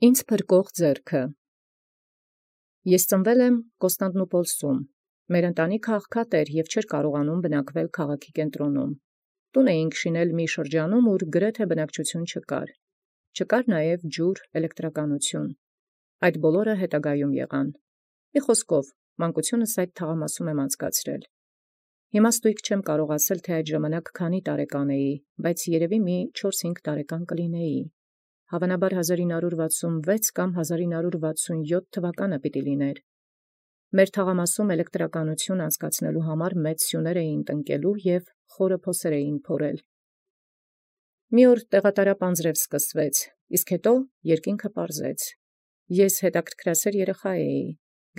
Ինձ փրկող ձեռքը։ Ես ծնվել եմ Կոստանդնուպոլսում։ Մեր ընտանիքը աղքատ էր և չէր կարողանում բնակվել քաղաքի կենտրոնում։ Տուն էինք շինել մի շրջանում, ուր գրեթե բնակչություն չկար։ Չկար նաև ջուր, էլեկտրականություն։ Այդ բոլորը հետագայում եղան։ Մի խոսքով, մանկությունս այդ թաղամասում եմ անցկացրել։ Հիմա ստույգ չեմ կարող ասել, թե այդ ժամանակ քանի տարեկան էի, բայց երևի մի 4-5 տարեկան կլինեի։ Հավանաբար 1966 կամ 1967 թվականը պիտի լիներ։ Մեր թաղամասում էլեկտրականություն անցկացնելու համար մեծ սյուներ էին տնկելու և խորը փոսեր էին փորել։ Մի օր տեղատարապ անձրև սկսվեց, իսկ հետո երկինքը պարզեց։ Ես հետաքրքրասեր երեխա էի։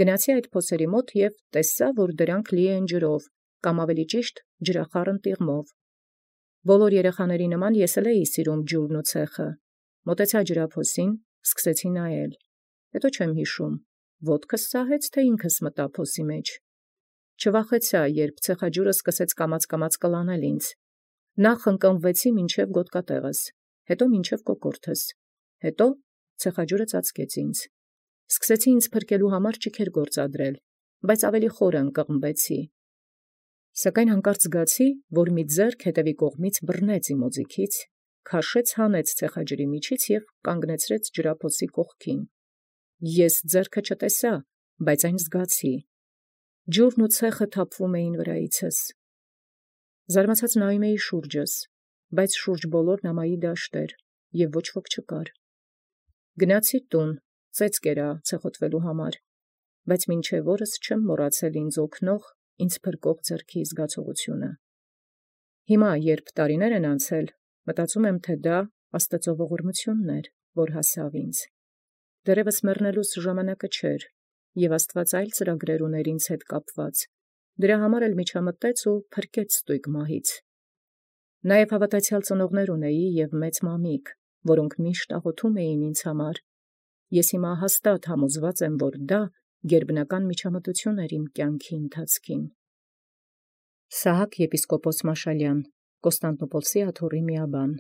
Գնացի այդ փոսերի մոտ և տեսա, որ դրանք լի են ջրով, կամ ավելի ճիշտ ջրախառն տիղմով։ Բոլոր երեխաների նման ես էլ էի սիրում ջուրն ու ցեխը։ Մոտեցա ջրափոսին, սկսեցի նայել։ Հետո չեմ հիշում, ոտքս սահեց, թե ինքս մտա փոսի մեջ։ Չվախեցա, երբ ցեխաջուրը սկսեց կամաց կլանել ինձ։ Նախ ընկնվեցի մինչև գոտկատեղս, հետո մինչև կոկորդս, հետո ցեխաջուրը ծածկեց ինձ։ Սկսեցի ինձ փրկելու համար ճիգեր գործադրել, բայց ավելի խորը ընկղմվեցի։ Սակայն հանկարծ զգացի, որ մի ձեռք հետևի կողմից բռնեց իմ օձիքից, քաշեց հանեց ցեխաջրի միջից և կանգնեցրեց ջրափոսի կողքին։ Ես ձեռքը չտեսա, բայց այն զգացի։ Ջուրն ու ցեխը թափվում էին վրայիցս։ Զարմացած նայում էի շուրջս, բայց շուրջ բոլոր նամայի դաշտ էր, և ոչ ոք չկար։ Գնացի տուն, ծեծ կերա ցեխոտվելու համար, բայց մինչև օրս չեմ մոռացել ինձ օգնող, ինձ փրկող ձեռքի զգացողությունը։ Հիմա, երբ տարիներ են անցել, մտածում եմ, թե դա Աստծո ողորմությունն էր, որ հասավ ինձ։ Դեռևս մեռնելուս ժամանակը չէր, և Աստված այլ ծրագրեր ուներ ինձ հետ կապված, դրա համար էլ միջամտեց ու փրկեց ստույգ մահից։ Նաև հավատացյալ ծնողներ ունեի և մեծ մամիկ, որոնք միշտ աղոթում էին ինձ համար։ Ես հիմա հաստատ համոզված եմ, որ դա գերբնական միջամտություն էր իմ կյանքի ընթացքին։ Սահակ եպիսկոպոս Մաշալյան, Կոստանդնուպոլսի աթոռի միաբան։